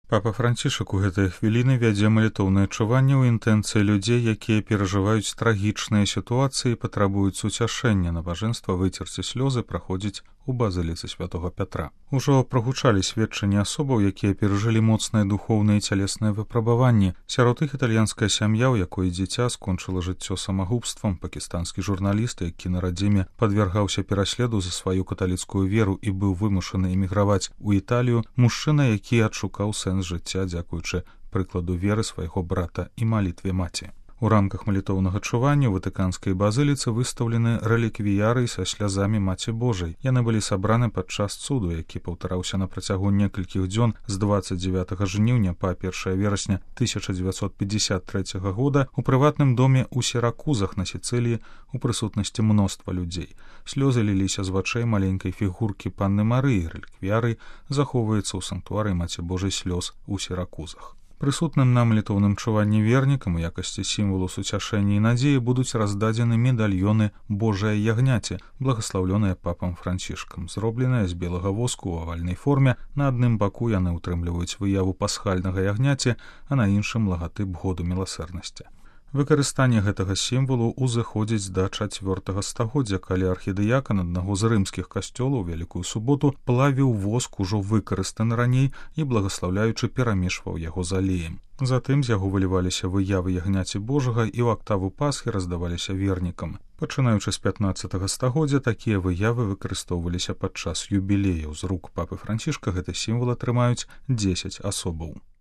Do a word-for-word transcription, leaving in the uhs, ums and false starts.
Папа Францішак у гэтыя хвіліны вядзе малітоўнае чуванне ў інтэнцыі людзей, якія перажываюць трагічныя сітуацыі і патрабуюць суцяшэння. Набажэнства выцерці слёзы праходзіць у базыліцы святога Пятра. Ужо прагучалі сведчанні асобаў, якія перажылі моцныя духоўныя і цялесныя выпрабаванні. Сярод іх італьянская сям'я, у якой дзіця скончыла жыццё самагубствам, пакістанскі журналіст, які на радзіме падвяргаўся пераследу за сваю каталіцкую веру і быў вымушаны эміграваць у Італію, мужчына, які адшукаў сэнс жыцця дзякуючы прыкладу веры свайго брата і малітве маці. У рамках малітоўнага чування ў ватыканскай базыліцы выстаўлены рэліквіяры са слязамі Маці Божай. Яны былі сабраны падчас цуду, які паўтараўся на працягу некалькіх дзён з дваццаць дзевятага жніўня па першае верасня тысяча дзевяцьсот пятьдесят третьего года ў прыватным доме ў Сіракузах на Сіцыліі у прысутнасці мноства людзей. Слёзы ліліся з вачэй маленькай фігуркі панны Марыі. Рэліквіяры захоўваецца ў санктуарыі Маці Божай слёз у Сіракузах. Прысутным на малітоўным чуванні вернікам у якасці сімвалу суцяшэння і надзеі будуць раздадзены медальёны Божае ягняце, благаслаўлёныя папам Францішкам. Зробленыя з белага воску ў авальнай форме, на адным баку яны ўтрымліваюць выяву пасхальнага ягняці, а на іншым лагатып году міласэрнасці. Выкарыстанне гэтага сімвалу узыходзіць да чацвёртага стагоддзя, калі архідыякан аднаго з рымскіх касцёлаў Вялікую суботу плавіў воск ужо выкарыстаны раней і благаслаўляючы перамешваў яго з алеем. Затым з яго выліваліся выявы ягняці Божага і ў актаву Пасхі раздаваліся вернікам. Пачынаючы з пятнаццатага стагоддзя такія выявы выкарыстоўваліся падчас юбілеяў. З рук папы Францішка гэты сімвал атрымаюць дзесяць асобаў.